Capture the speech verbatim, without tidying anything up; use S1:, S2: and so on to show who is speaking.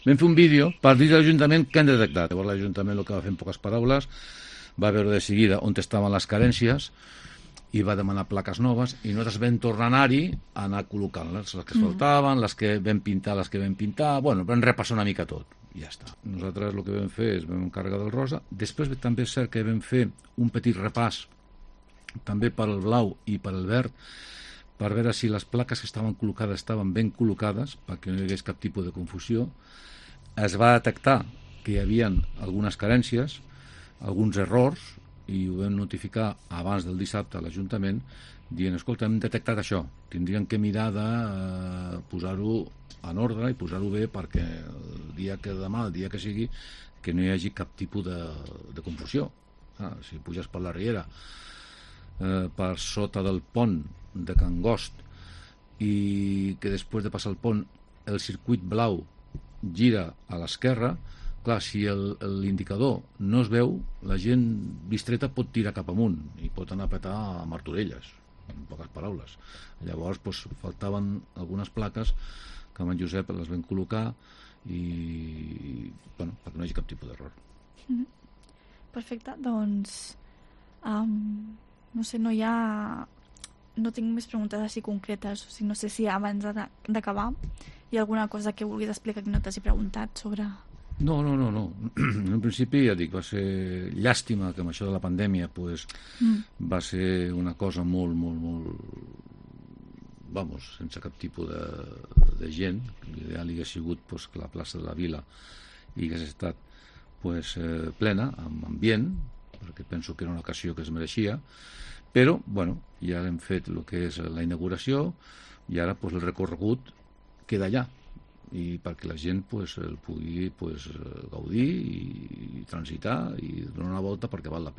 S1: Vam fer un vídeo per dir a l'Ajuntament què han detectat. Llavors l'Ajuntament el que va fer en poques paraules va veure de seguida on estaven les carències i va demanar plaques noves i nosaltres vam tornar a anar-hi a anar col·locant-les, les que es faltaven, les que vam pintar, les que vam pintar, bueno, vam repassar una mica tot i ja està. Nosaltres el que vam fer és vam encarregar del rosa, després també és cert que vam fer un petit repàs també per al blau i per al verd per veure si les plaques que estaven col·locades estaven ben col·locades perquè no hi hagués cap tipus de confusió. Es va detectar que hi havia algunes carències, alguns errors, i ho vam notificar abans del dissabte a l'Ajuntament, dient, escolta, hem detectat això, tindríem que mirar de eh, posar-ho en ordre i posar-ho bé perquè el dia que demà, el dia que sigui, que no hi hagi cap tipus de, de confusió. Ah, si puges per la riera, eh, per sota del pont de Can Gost, i que després de passar el pont el circuit blau gira a l'esquerra, clar, si l'indicador no es veu, la gent distreta pot tirar cap amunt i pot anar a petar a Martorelles, en poques paraules. Llavors, doncs, faltaven algunes plaques que amb en Josep les vam col·locar i, bueno, perquè no hi hagi cap tipus d'error.
S2: Mm-hmm. Perfecte, doncs um, no sé, no hi ha no tinc més preguntes així concretes, o sigui, no sé si abans d'acabar hi ha alguna cosa que vulguis explicar que no t'hagi preguntat sobre...
S1: No, no, no, no. En principi, ja dic, va ser llàstima que amb això de la pandèmia pues, mm. va ser una cosa molt, molt, molt... Vamos, sense cap tipus de, de gent. L'ideal hauria sigut pues, que la plaça de la Vila hi hagués estat pues, eh, plena, amb ambient, perquè penso que era una ocasió que es mereixia, però, bueno, ja hem fet el que és la inauguració i ara pues, el recorregut queda allà i perquè la gent pues, el pugui pues, gaudir i transitar i donar una volta perquè val la pena.